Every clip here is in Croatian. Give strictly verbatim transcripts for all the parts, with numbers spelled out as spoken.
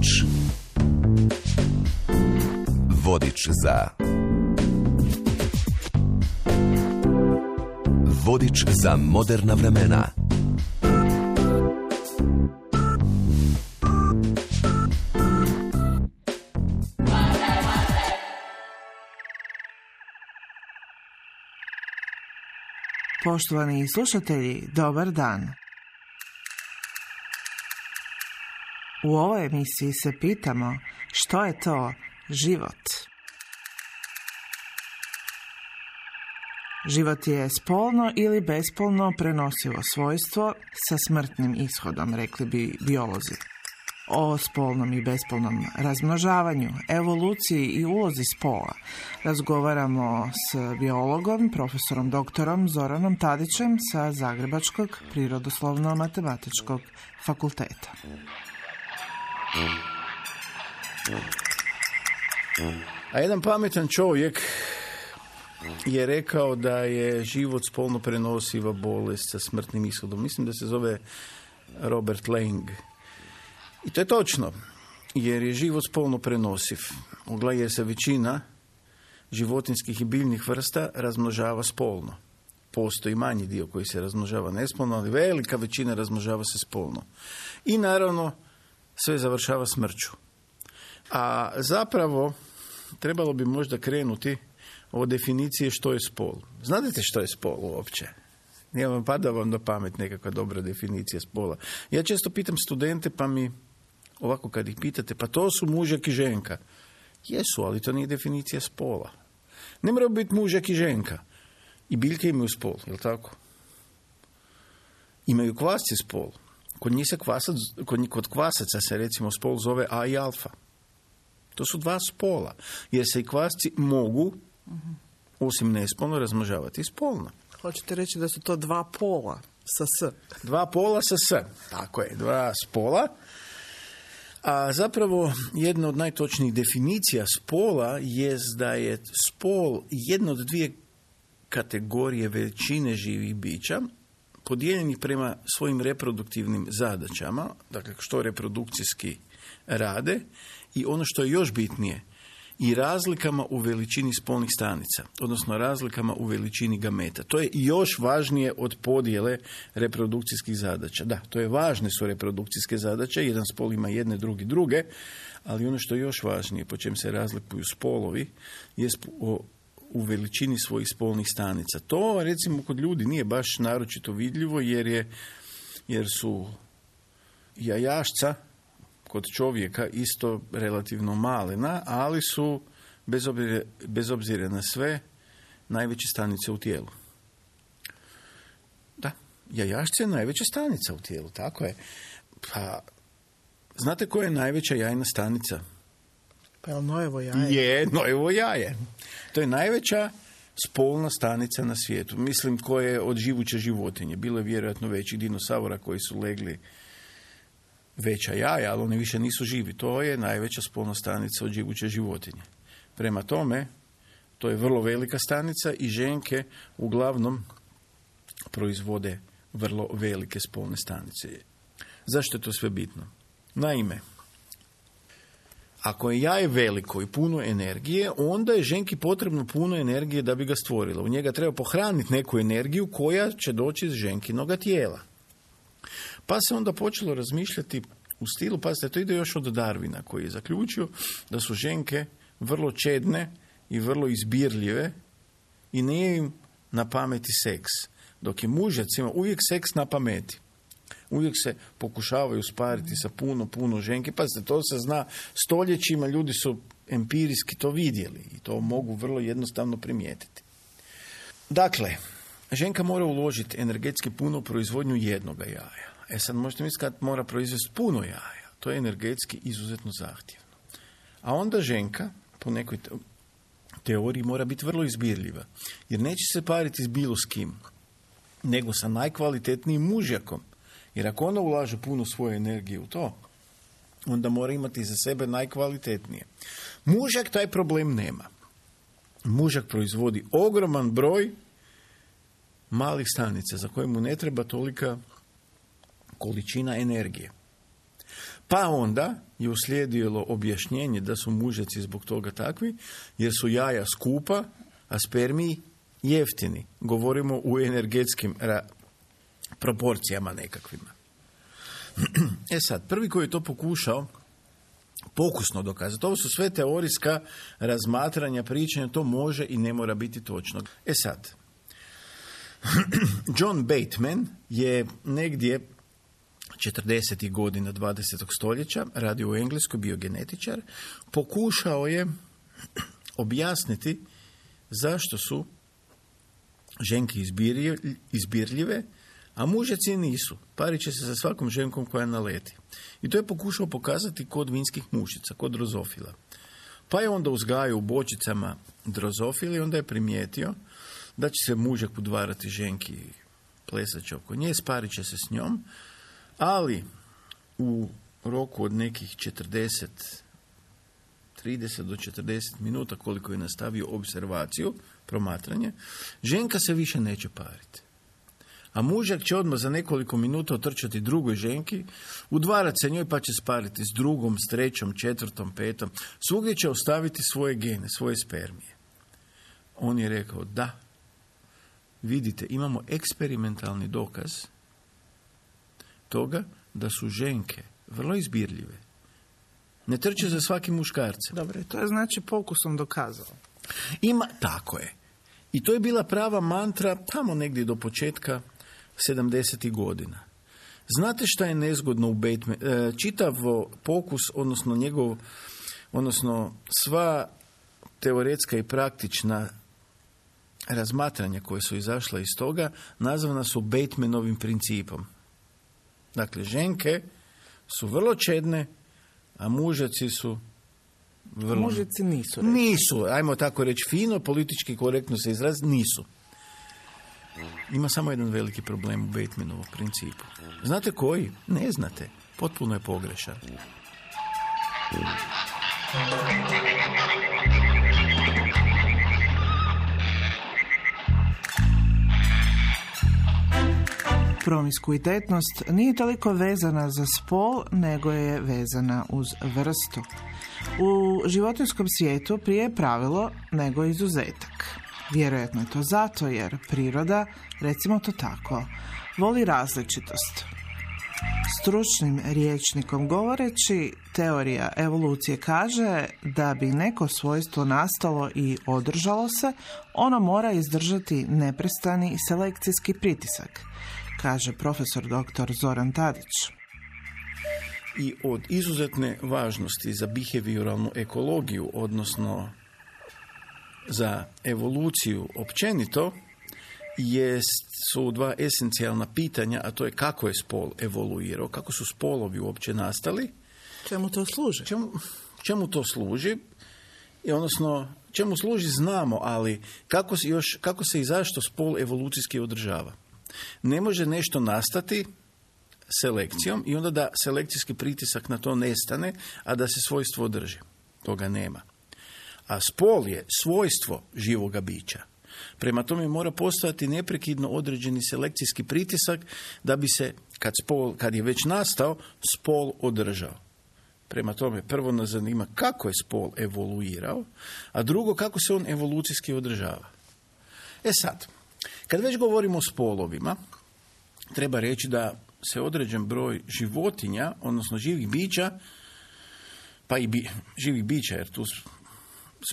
Vodič. Vodič za... Vodič za moderna vremena. Poštovani slušatelji, dobar dan. U ovoj emisiji se pitamo što je to život. Život je spolno ili bespolno prenosivo svojstvo sa smrtnim ishodom, rekli bi biolozi. O spolnom i bespolnom razmnožavanju, evoluciji i ulozi spola razgovaramo s biologom, profesorom doktorom Zoranom Tadićem sa Zagrebačkog prirodoslovno-matematičkog fakulteta. A jedan pametan čovjek je rekao da je život spolno prenosiva bolest sa smrtnim ishodom. Mislim da se zove Robert Lang. I to je točno, jer je život spolno prenosiv. Jer se većina životinskih i biljnih vrsta razmnožava spolno. Postoji manji dio koji se razmnožava nespolno, ali velika većina razmnožava se spolno. I naravno, sve završava smrću. A zapravo, trebalo bi možda krenuti od definicije što je spol. Znate što je spol uopće? Nije vam pada vam na pamet nekakva dobra definicija spola. Ja često pitam studente, pa mi ovako kad ih pitate, pa to su mužak i ženka. Jesu, ali to nije definicija spola. Ne mora biti mužak i ženka. I biljke imaju spol, je li tako? Imaju kvasci spol. Kod njih se kvasac, kod, kod kvasaca se recimo spol zove A i alfa. To su dva spola. Jer se i kvasci mogu, osim nespolno, razmnožavati spolno. Hoćete reći da su to dva pola sa S? Dva pola sa S. Tako je, dva spola. A zapravo jedna od najtočnijih definicija spola je da je spol jedna od dvije kategorije većine živih bića podijeljenih prema svojim reproduktivnim zadaćama, dakle što reprodukcijski rade, i ono što je još bitnije, i razlikama u veličini spolnih stanica, odnosno razlikama u veličini gameta. To je još važnije od podjele reprodukcijskih zadaća. Da, to je važne su reprodukcijske zadaće, jedan spol ima jedne, drugi druge, ali ono što je još važnije, po čem se razlikuju spolovi, je u veličini svojih spolnih stanica. To, recimo, kod ljudi nije baš naročito vidljivo, jer, je, jer su jajašca kod čovjeka isto relativno malena, ali su, bez obzira, bez obzira na sve, najveće stanice u tijelu. Da, jajašce je najveća stanica u tijelu, tako je. Pa, znate koja je najveća jajna stanica? Pa je nojevo jaje? Je, nojevo jaje. To je najveća spolna stanica na svijetu. Mislim, koja je od živuće životinje. Bilo je vjerojatno većih dinosaura koji su legli veća jaja, ali oni više nisu živi. To je najveća spolna stanica od živuće životinje. Prema tome, to je vrlo velika stanica i ženke uglavnom proizvode vrlo velike spolne stanice. Zašto je to sve bitno? Naime, ako je jaje veliko i puno energije, onda je ženki potrebno puno energije da bi ga stvorila. U njega treba pohraniti neku energiju koja će doći iz ženkinoga tijela. Pa se onda počelo razmišljati u stilu, pazite, to ide još od Darwina, koji je zaključio da su ženke vrlo čedne i vrlo izbirljive i nije im na pameti seks. Dok je mužac ima uvijek seks na pameti. Uvijek se pokušavaju spariti sa puno, puno ženke. Pazite, to se zna stoljećima, ljudi su empirijski to vidjeli i to mogu vrlo jednostavno primijetiti. Dakle, ženka mora uložiti energetski puno u proizvodnju jednoga jaja. E sad možete misliti kad mora proizvesti puno jaja. To je energetski izuzetno zahtjevno. A onda ženka, po nekoj teoriji, mora biti vrlo izbirljiva. Jer neće se pariti s bilo s kim, nego sa najkvalitetnijim mužjakom. Jer ako ona ulaže puno svoje energije u to, onda mora imati za sebe najkvalitetnije. Mužjak taj problem nema. Mužjak proizvodi ogroman broj malih stanica za koje mu ne treba tolika količina energije. Pa onda je uslijedilo objašnjenje da su mužjaci zbog toga takvi, jer su jaja skupa, a spermiji jeftini. Govorimo u energetskim ra- proporcijama nekakvima. E sad, prvi koji je to pokušao pokusno dokazati, ovo su sve teorijska razmatranja, pričanja, to može i ne mora biti točno. E sad, John Bateman je negdje četrdesetih godina dvadesetog stoljeća, radio u Engleskoj, bio genetičar, pokušao je objasniti zašto su ženke izbirljive, a mužjaci nisu. Parit će se sa svakom ženkom koja naleti. I to je pokušao pokazati kod vinskih mušica, kod drozofila. Pa je onda uzgajao u bočicama drozofila i onda je primijetio da će se mužak udvarati ženki, plesat će oko nje, sparit će se s njom, ali u roku od nekih četrdeset, trideset do četrdeset minuta koliko je nastavio observaciju, promatranje, ženka se više neće pariti. A mužak će odmah za nekoliko minuta otrčati drugoj ženki, udvarati se njoj pa će spariti s drugom, s trećom, četvrtom, petom. Svugdje će ostaviti svoje gene, svoje spermije. On je rekao da, vidite, imamo eksperimentalni dokaz toga da su ženke vrlo izbirljive. Ne trče za svakim muškarcem. Dobro, to je znači pokusom dokazao. Ima, tako je. I to je bila prava mantra tamo negdje do početka sedamdesetih godina. Znate šta je nezgodno u Bateman? Čitav pokus, odnosno njegov, odnosno sva teoretska i praktična razmatranja koje su izašla iz toga, nazvana su Batemanovim principom. Dakle, ženke su vrlo čedne, a mužaci su vrlo... Mužici nisu. Reći. Nisu, ajmo tako reći fino, politički korektno se izraz, nisu. Ima samo jedan veliki problem u Batemanovom principu. Znate koji? Ne znate. Potpuno je pogrešan. Promiskuitetnost nije toliko vezana za spol, nego je vezana uz vrstu. U životinjskom svijetu prije je pravilo nego izuzetak. Vjerojatno je to zato jer priroda, recimo to tako, voli različitost. Stručnim rječnikom govoreći, teorija evolucije kaže da bi neko svojstvo nastalo i održalo se, ono mora izdržati neprestani selekcijski pritisak, kaže profesor doktor Zoran Tadić. I od izuzetne važnosti za behavioralnu ekologiju, odnosno za evoluciju općenito, jest, su dva esencijalna pitanja, a to je kako je spol evoluirao, kako su spolovi uopće nastali. Čemu to služi? Čemu, čemu to služi? I odnosno, čemu služi znamo, ali kako se, još, kako se i zašto spol evolucijski održava. Ne može nešto nastati selekcijom i onda da selekcijski pritisak na to nestane, a da se svojstvo održi. Toga nema. A spol je svojstvo živoga bića. Prema tome mora postojati neprekidno određeni selekcijski pritisak da bi se, kad, spol, kad je već nastao, spol održao. Prema tome, prvo nas zanima kako je spol evoluirao, a drugo kako se on evolucijski održava. E sad, kad već govorimo o spolovima, treba reći da se određen broj životinja, odnosno živih bića, pa i bi, živih bića, jer tu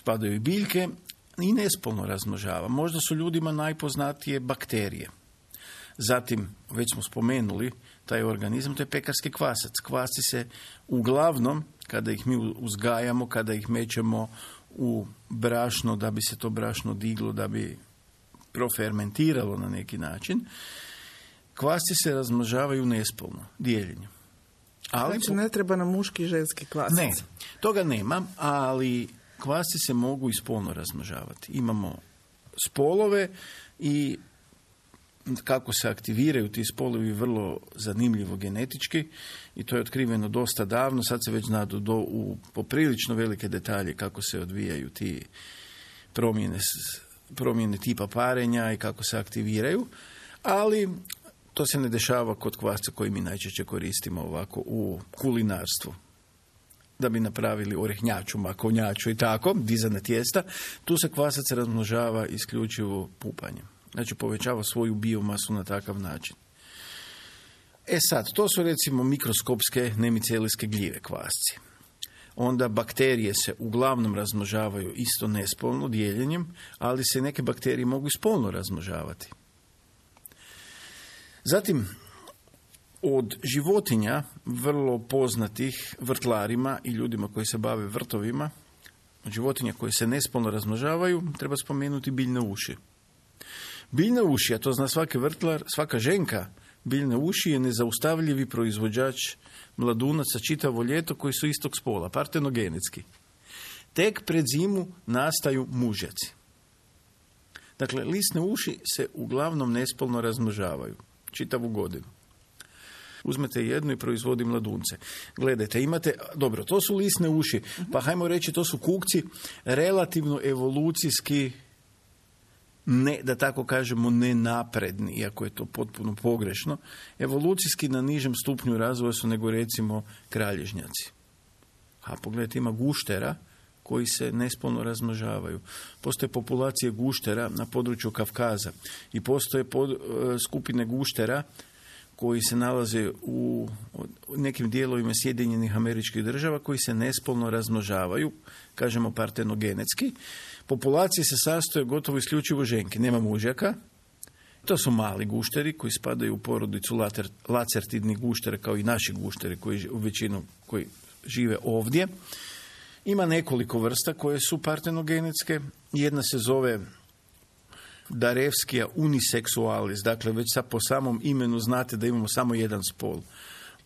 spadaju i biljke, i nespolno razmnožava. Možda su ljudima najpoznatije bakterije. Zatim, već smo spomenuli taj organizam, to je pekarski kvasac. Kvasci se uglavnom, kada ih mi uzgajamo, kada ih mećemo u brašno, da bi se to brašno diglo, da bi profermentiralo na neki način, kvasci se razmnožavaju nespolno, dijeljenjem. Ali, znači ne treba nam muški i ženski kvasac. Ne, toga nema, ali kvasci se mogu i spolno razmnožavati. Imamo spolove i kako se aktiviraju ti spolovi vrlo zanimljivo genetički i to je otkriveno dosta davno, sad se već zna do, do u poprilično velike detalje kako se odvijaju ti promjene, promjene tipa parenja i kako se aktiviraju, ali To se ne dešava kod kvasca koji mi najčešće koristimo ovako u kulinarstvu. Da bi napravili orehnjaču, makovnjaču i tako, dizane tijesta. Tu se kvasac razmnožava isključivo pupanjem. Znači povećava svoju biomasu na takav način. E sad, to su recimo mikroskopske nemicelijske gljive kvasci. Onda bakterije se uglavnom razmnožavaju isto nespolno dijeljenjem, ali se neke bakterije mogu i spolno razmnožavati. Zatim, od životinja, vrlo poznatih vrtlarima i ljudima koji se bave vrtovima, od životinja koje se nespolno razmnožavaju, treba spomenuti biljne uši. Biljne uši, a to zna svaki vrtlar, svaka ženka, biljne uši je nezaustavljivi proizvođač mladunaca čitavo ljeto koji su istog spola, partenogenetski. Tek pred zimu nastaju mužjaci. Dakle, lisne uši se uglavnom nespolno razmnožavaju čitavu godinu. Uzmete jednu i proizvodi mladunce. Gledajte, imate, dobro, to su lisne uši, pa hajmo reći to su kukci relativno evolucijski, ne, da tako kažemo, nenapredni, iako je to potpuno pogrešno. Evolucijski na nižem stupnju razvoja su nego recimo kralježnjaci. A pogledajte, ima guštera koji se nespolno razmnožavaju. Postoje populacije guštera na području Kavkaza i postoje pod, skupine guštera koji se nalaze u nekim dijelovima Sjedinjenih Američkih Država koji se nespolno razmnožavaju, kažemo partenogenetski. Populacije se sastoje gotovo isključivo ženke, nema mužjaka. To su mali gušteri koji spadaju u porodicu later, lacertidnih guštera kao i naši gušteri koji u većinu koji žive ovdje. Ima nekoliko vrsta koje su partenogenetske. Jedna se zove Darevskija uniseksualis, dakle već sad po samom imenu znate da imamo samo jedan spol.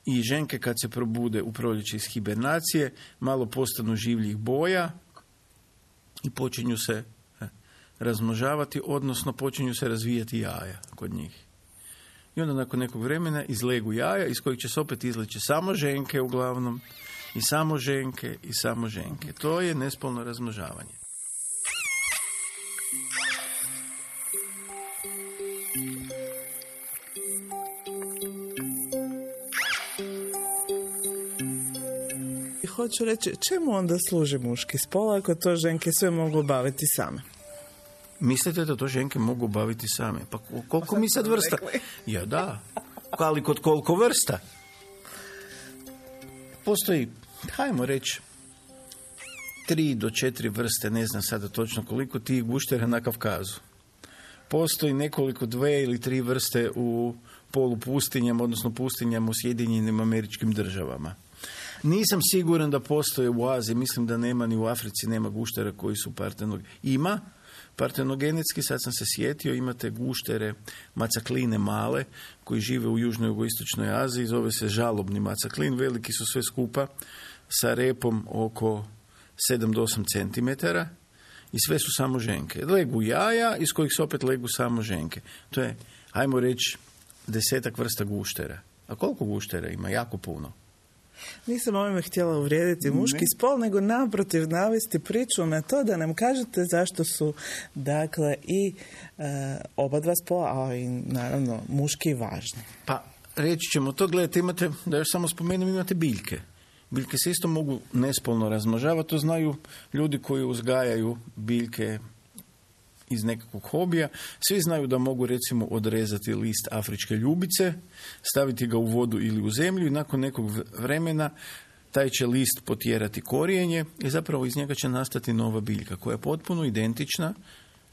I ženke kad se probude u proljeće iz hibernacije, malo postanu življih boja i počinju se razmnožavati, odnosno počinju se razvijati jaja kod njih. I onda nakon nekog vremena izlegu jaja iz kojih će se opet izleći samo ženke uglavnom, i samo ženke, i samo ženke. To je nespolno razmnožavanje. Hoću reći, čemu onda služi muški spol ako to ženke sve mogu obaviti same? Mislite da to ženke mogu obaviti same? Pa koliko mi sad vrsta? Ja da, ali kod koliko vrsta? Postoji, hajmo reći, tri do četiri vrste, ne znam sada točno koliko, tih guštera na Kavkazu. Postoji nekoliko dve ili tri vrste u polupustinjama, odnosno pustinjama u Sjedinjenim Američkim Državama. Nisam siguran da postoje u Aziji, mislim da nema ni u Africi, nema guštera koji su partenogenetski. Ima partenogenetski, sad sam se sjetio, imate guštere macakline male koji žive u južnoj jugoistočnoj Aziji, zove se žalobni macaklin, veliki su sve skupa sa repom oko sedam do osam centimetara i sve su samo ženke. Legu jaja iz kojih se opet legu samo ženke. To je, ajmo reći, desetak vrsta guštera. A koliko guštera ima? Jako puno. Nisam ovime htjela uvrijediti muški ne. spol, nego naprotiv navesti priču na to da nam kažete zašto su, dakle, i e, oba dva spola, a i naravno muški važni. Pa, reći ćemo to, gledajte, imate, da još samo spomenem, imate biljke. Biljke se isto mogu nespolno razmnožavati, to znaju ljudi koji uzgajaju biljke iz nekakvog hobija. Svi znaju da mogu recimo odrezati list afričke ljubice, staviti ga u vodu ili u zemlju i nakon nekog vremena taj će list potjerati korijenje i zapravo iz njega će nastati nova biljka koja je potpuno identična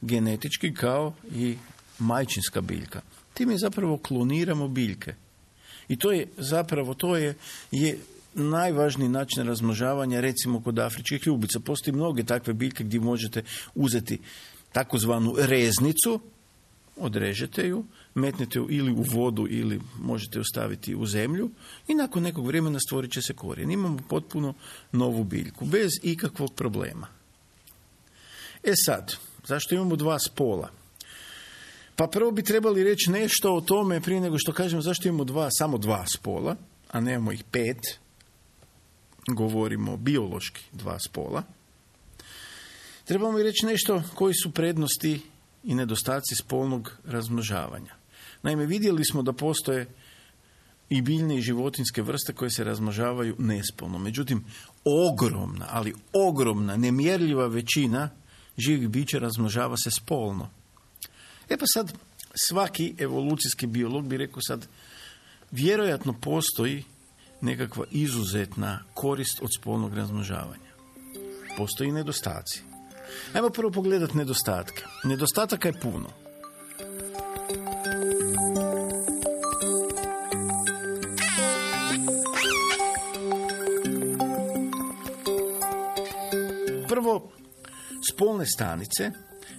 genetički kao i majčinska biljka. Time zapravo kloniramo biljke. I to je zapravo, to je, je najvažniji način razmnožavanja recimo kod afričkih ljubica. Postoji mnoge takve biljke gdje možete uzeti takozvanu reznicu, odrežete ju, metnete ju ili u vodu ili možete ju staviti u zemlju i nakon nekog vremena stvorit će se korijen. Imamo potpuno novu biljku, bez ikakvog problema. E sad, zašto imamo dva spola? Pa prvo bi trebali reći nešto o tome prije nego što kažemo zašto imamo dva, samo dva spola, a nemamo ih pet. Govorimo biološki dva spola. Trebamo i reći nešto koji su prednosti i nedostaci spolnog razmnožavanja. Naime, vidjeli smo da postoje i biljne i životinjske vrste koje se razmnožavaju nespolno. Međutim, ogromna, ali ogromna, nemjerljiva većina živih bića razmnožava se spolno. E pa sad, svaki evolucijski biolog bi rekao sad, vjerojatno postoji nekakva izuzetna korist od spolnog razmnožavanja. Postoji i nedostaci. Ajmo prvo pogledati nedostatke. Nedostataka je puno. Prvo, spolne stanice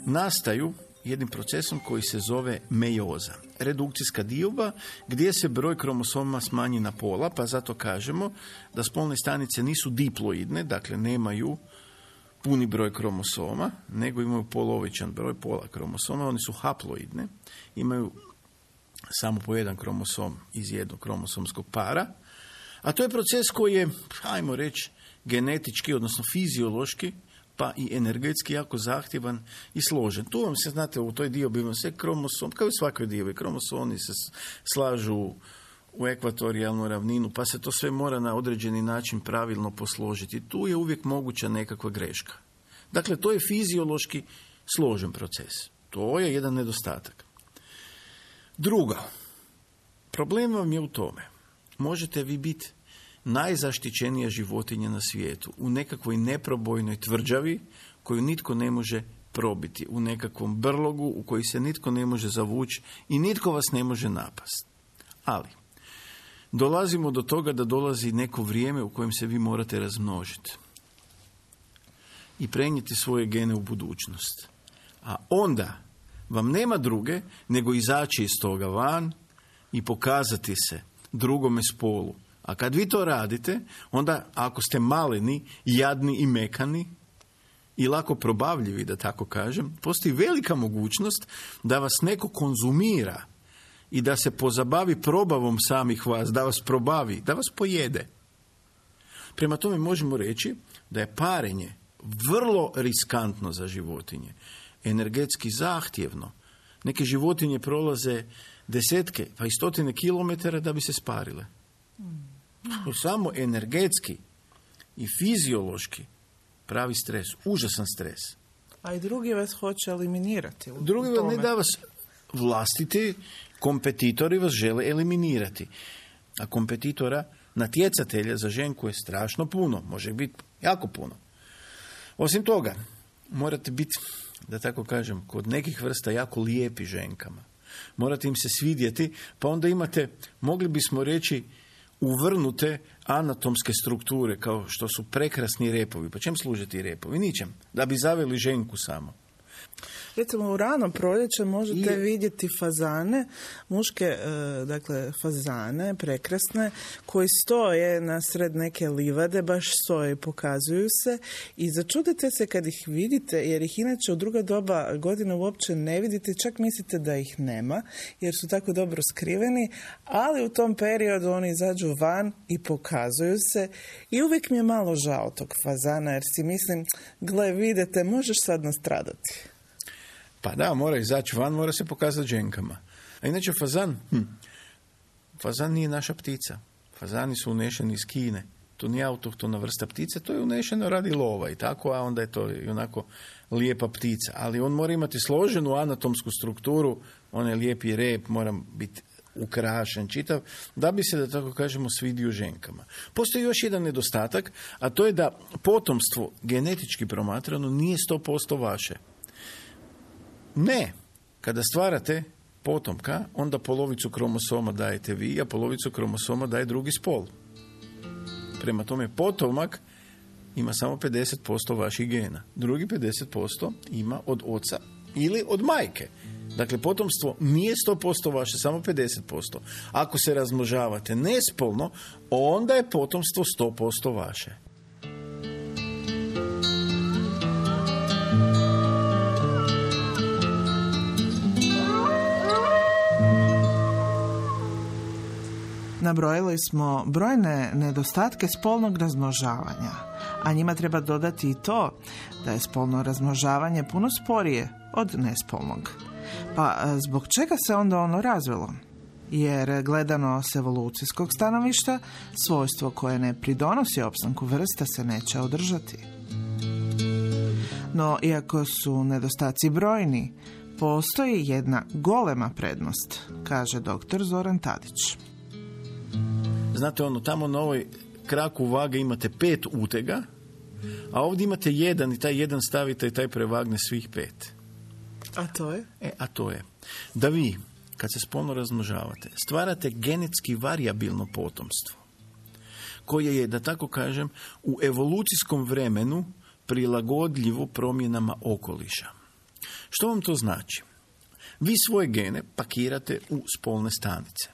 nastaju jednim procesom koji se zove mejoza. Redukcijska dioba gdje se broj kromosoma smanji na pola, pa zato kažemo da spolne stanice nisu diploidne, dakle nemaju puni broj kromosoma, nego imaju polovičan broj pola kromosoma, oni su haploidne, imaju samo po jedan kromosom iz jednog kromosomskog para, a to je proces koji je, ajmo reći, genetički, odnosno fiziološki, pa i energetski jako zahtjevan i složen. Tu vam se, znate, u toj diobi vam se kromosom, kao i u svakoj diobi, kromosoni se slažu u ekvatorijalnu ravninu, pa se to sve mora na određeni način pravilno posložiti. Tu je uvijek moguća nekakva greška. Dakle, to je fiziološki složen proces. To je jedan nedostatak. Drugo, problem vam je u tome. Možete vi biti najzaštićenija životinja na svijetu, u nekakvoj neprobojnoj tvrđavi koju nitko ne može probiti, u nekakvom brlogu u koji se nitko ne može zavući i nitko vas ne može napasti. Ali, dolazimo do toga da dolazi neko vrijeme u kojem se vi morate razmnožiti i prenijeti svoje gene u budućnost. A onda vam nema druge nego izaći iz toga van i pokazati se drugome spolu. A kad vi to radite, onda ako ste maleni, jadni i mekani i lako probavljivi, da tako kažem, postoji velika mogućnost da vas neko konzumira i da se pozabavi probavom samih vas, da vas probavi, da vas pojede. Prema tome možemo reći da je parenje vrlo riskantno za životinje, energetski zahtjevno. Neke životinje prolaze desetke, pa i stotine kilometara da bi se sparile. Samo energetski i fiziološki pravi stres, užasan stres. A i drugi vas hoće eliminirati. Drugi vas ne da vas vlastiti kompetitori vas žele eliminirati. A kompetitora, natjecatelja za ženku je strašno puno, može biti jako puno. Osim toga, morate biti, da tako kažem, kod nekih vrsta jako lijepi ženkama. Morate im se svidjeti, pa onda imate, mogli bismo reći, uvrnute anatomske strukture, kao što su prekrasni repovi. Pa čem služe ti repovi? Ničem. Da bi zaveli ženku samo. Recimo u rano proljeće možete I... vidjeti fazane, muške, e, dakle fazane, prekrasne, koji stoje nasred neke livade, baš stoje i pokazuju se i začudite se kad ih vidite, jer ih inače u druga doba godine uopće ne vidite, čak mislite da ih nema, jer su tako dobro skriveni, ali u tom periodu oni izađu van i pokazuju se i uvijek mi je malo žao tog fazana, jer si mislim, gle, vidite, možeš sad nastradati. Pa da, mora izaći van, mora se pokazati ženkama. A inače fazan, hm, fazan nije naša ptica. Fazani su unešeni iz Kine. To nije autohtona vrsta ptice, to je unešeno radi lova i tako, a onda je to i onako lijepa ptica. Ali on mora imati složenu anatomsku strukturu, onaj lijepi rep mora biti ukrašen, čitav, da bi se, da tako kažemo, svidio ženkama. Postoji još jedan nedostatak, a to je da potomstvo genetički promatrano nije sto posto vaše. Ne, kada stvarate potomka, onda polovicu kromosoma dajete vi, a polovicu kromosoma daje drugi spol. Prema tome, potomak ima samo pedeset posto vaših gena. Drugi pedeset posto ima od oca ili od majke. Dakle, potomstvo nije sto posto vaše, samo pedeset posto. Ako se razmnožavate nespolno, onda je potomstvo sto posto vaše. Nabrojili smo brojne nedostatke spolnog razmnožavanja, a njima treba dodati i to da je spolno razmnožavanje puno sporije od nespolnog. Pa zbog čega se onda ono razvilo? Jer gledano s evolucijskog stanovišta, svojstvo koje ne pridonosi opstanku vrsta se neće održati. No, iako su nedostaci brojni, postoji jedna golema prednost, kaže doktor Zoran Tadić. Znate, ono, tamo na ovoj kraku vage imate pet utega, a ovdje imate jedan i taj jedan stavite i taj prevagne svih pet. A to je? E, a to je da vi, kad se spolno razmnožavate, stvarate genetski varijabilno potomstvo, koje je, da tako kažem, u evolucijskom vremenu prilagodljivo promjenama okoliša. Što vam to znači? Vi svoje gene pakirate u spolne stanice.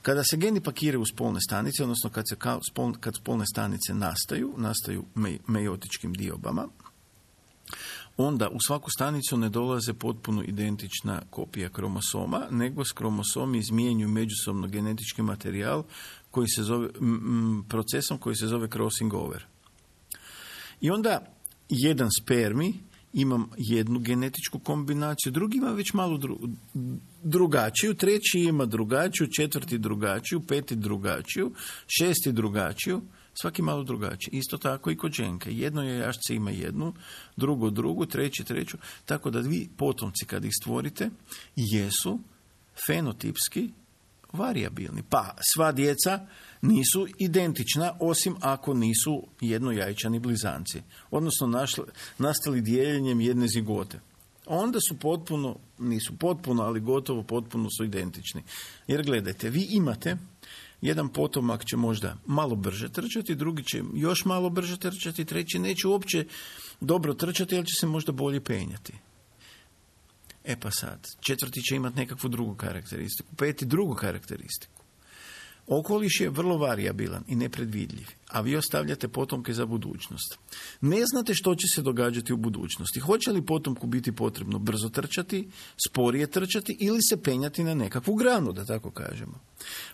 Kada se geni pakiraju u spolne stanice, odnosno kad, se ka, spol, kad spolne stanice nastaju, nastaju me, meiotičkim diobama, onda u svaku stanicu ne dolaze potpuno identična kopija kromosoma, nego s kromosomi izmijenjuju međusobno genetički materijal koji se zove, m, procesom koji se zove crossing over. I onda jedan spermi ima jednu genetičku kombinaciju, drugi ima već malo dru, drugačiju, treći ima drugačiju, četvrti drugačiju, peti drugačiju, šesti drugačiju, svaki malo drugačiji. Isto tako i kod ženke. Jedno jajašce ima jednu, drugo drugu, treći treću, tako da vi potomci kad ih stvorite jesu fenotipski varijabilni. Pa sva djeca nisu identična, osim ako nisu jednojajčani blizanci, odnosno našli, nastali dijeljenjem jedne zigote. Onda su potpuno, nisu potpuno, ali gotovo potpuno su identični. Jer gledajte, vi imate, jedan potomak će možda malo brže trčati, drugi će još malo brže trčati, treći neće uopće dobro trčati, ali će se možda bolje penjati. E pa sad, četvrti će imati nekakvu drugu karakteristiku, peti drugu karakteristiku. Okoliš je vrlo varijabilan i nepredvidljiv, a vi ostavljate potomke za budućnost. Ne znate što će se događati u budućnosti. Hoće li potomku biti potrebno brzo trčati, sporije trčati ili se penjati na nekakvu granu, da tako kažemo.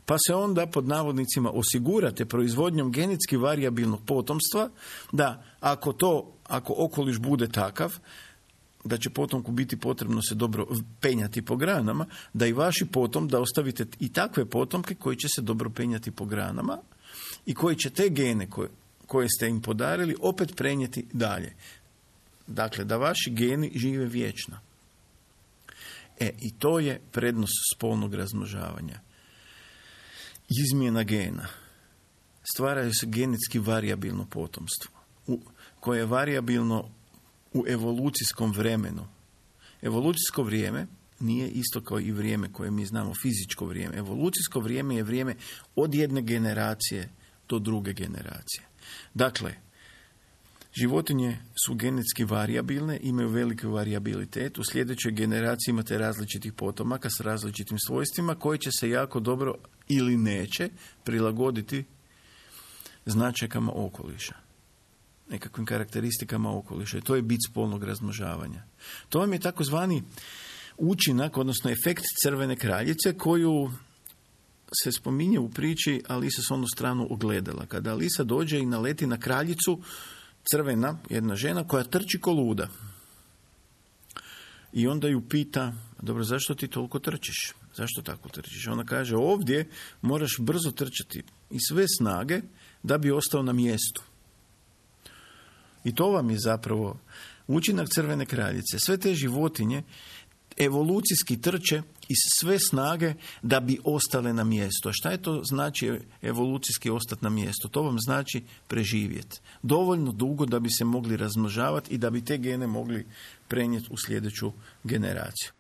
Pa se onda pod navodnicima osigurate proizvodnjom genetski varijabilnog potomstva da ako to, ako okoliš bude takav, da će potomku biti potrebno se dobro penjati po granama, da i vaši potom, da ostavite i takve potomke koji će se dobro penjati po granama i koji će te gene koje, koje ste im podarili opet prenijeti dalje. Dakle, da vaši geni žive vječno. E, i to je prednost spolnog razmnožavanja. Izmjena gena. Stvaraju se genetski varijabilno potomstvo, u, koje je varijabilno u evolucijskom vremenu. Evolucijsko vrijeme nije isto kao i vrijeme koje mi znamo, fizičko vrijeme. Evolucijsko vrijeme je vrijeme od jedne generacije do druge generacije. Dakle, životinje su genetski varijabilne, imaju veliki varijabilitet. U sljedećoj generaciji imate različitih potomaka s različitim svojstvima koji će se jako dobro ili neće prilagoditi značajkama okoliša, nekakvim karakteristikama okoliša. I to je bit spolnog razmnožavanja. To vam je takozvani učinak, odnosno efekt crvene kraljice, koju se spominje u priči Alisa s onu stranu ogledala. Kada Alisa dođe i naleti na kraljicu, crvena, jedna žena koja trči ko luda. I onda ju pita, dobro, zašto ti toliko trčiš? Zašto tako trčiš? Ona kaže, ovdje moraš brzo trčati i sve snage da bi ostao na mjestu. I to vam je zapravo učinak crvene kraljice. Sve te životinje evolucijski trče iz sve snage da bi ostale na mjestu. A šta je to znači evolucijski ostati na mjestu? To vam znači preživjeti. Dovoljno dugo da bi se mogli razmnožavati i da bi te gene mogli prenijeti u sljedeću generaciju.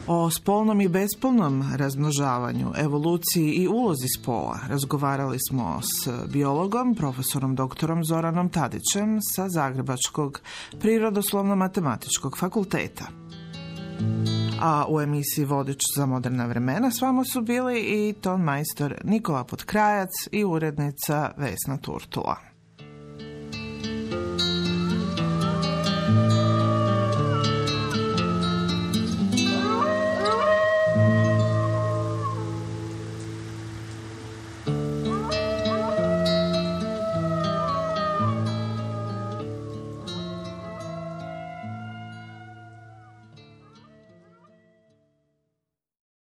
O spolnom i bespolnom razmnožavanju, evoluciji i ulozi spola razgovarali smo s biologom, profesorom doktorom Zoranom Tadićem sa Zagrebačkog prirodoslovno-matematičkog fakulteta. A u emisiji Vodič za moderna vremena s vama su bili i ton majstor Nikola Potkrajac i urednica Vesna Turtula.